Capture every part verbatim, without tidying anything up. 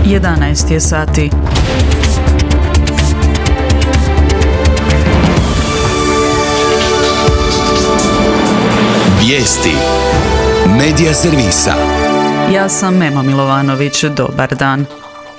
jedanaest je sati. Vijesti Medija servisa. Ja sam Ema Milovanović, dobar dan.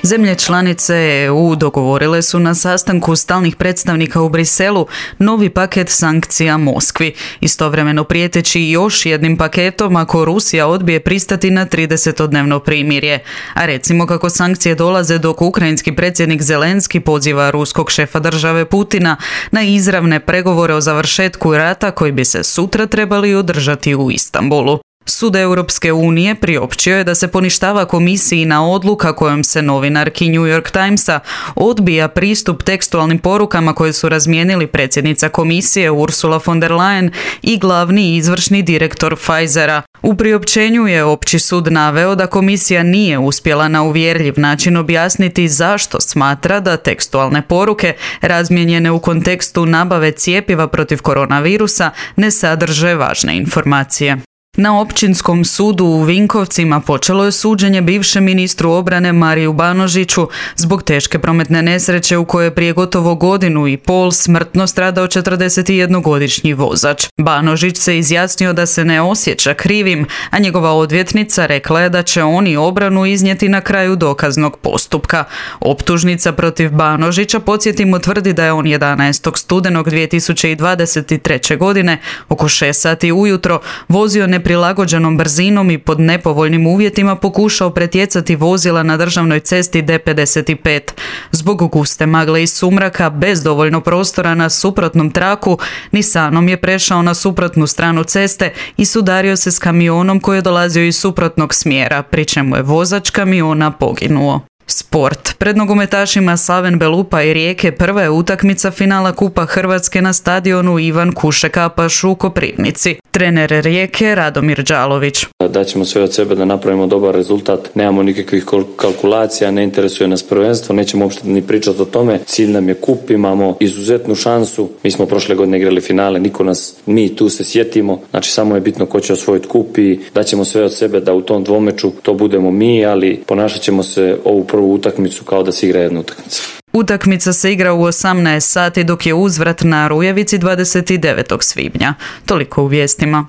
Zemlje članice E U dogovorile su na sastanku stalnih predstavnika u Briselu novi paket sankcija Moskvi, istovremeno prijeteći još jednim paketom ako Rusija odbije pristati na tridesetodnevno primirje. A recimo kako sankcije dolaze dok ukrajinski predsjednik Zelenski poziva ruskog šefa države Putina na izravne pregovore o završetku rata koji bi se sutra trebali održati u Istanbulu. Sud Europske unije priopćio je da se poništava komisijina odluka kojom se novinarki New York Timesa odbija pristup tekstualnim porukama koje su razmijenili predsjednica komisije Ursula von der Leyen i glavni izvršni direktor Pfizera. U priopćenju je opći sud naveo da komisija nije uspjela na uvjerljiv način objasniti zašto smatra da tekstualne poruke razmijenjene u kontekstu nabave cjepiva protiv koronavirusa ne sadrže važne informacije. Na Općinskom sudu u Vinkovcima počelo je suđenje bivšem ministru obrane Mariju Banožiću zbog teške prometne nesreće u kojoj je prije gotovo godinu i pol smrtno stradao četrdesetjednogodišnji vozač. Banožić se izjasnio da se ne osjeća krivim, a njegova odvjetnica rekla je da će oni obranu iznijeti na kraju dokaznog postupka. Optužnica protiv Banožića, podsjetimo, tvrdi da je on jedanaestog studenog dvije tisuće dvadeset treće. godine oko šest sati ujutro vozio ne prilagođenom brzinom i pod nepovoljnim uvjetima pokušao pretjecati vozila na državnoj cesti D pedeset pet. Zbog guste magle i sumraka, bez dovoljno prostora na suprotnom traku, Nissanom je prešao na suprotnu stranu ceste i sudario se s kamionom koji je dolazio iz suprotnog smjera, pri čemu je vozač kamiona poginuo. Sport. Pred nogometašima Slaven Belupa i Rijeke prva je utakmica finala Kupa Hrvatske na stadionu Ivan Kušek-Apaš u Koprivnici. Trener Rijeke Radomir Đalović. Daćemo sve od sebe da napravimo dobar rezultat. Nemamo nikakvih kalkulacija, ne interesuje nas prvenstvo, nećemo uopšte ni pričati o tome. Cilj nam je kup, imamo izuzetnu šansu. Mi smo prošle godine igrali finale, niko nas, mi tu se sjetimo. Znači samo je bitno ko će osvojiti kup i daćemo sve od sebe da u tom dvomeču to budemo mi, ali ponašat ćemo se ovu prvu utakmicu kao da se igra jedna utakmica. Utakmica se igra u osamnaest sati dok je uzvrat na Rujevici dvadeset devetog svibnja. Toliko u vijestima.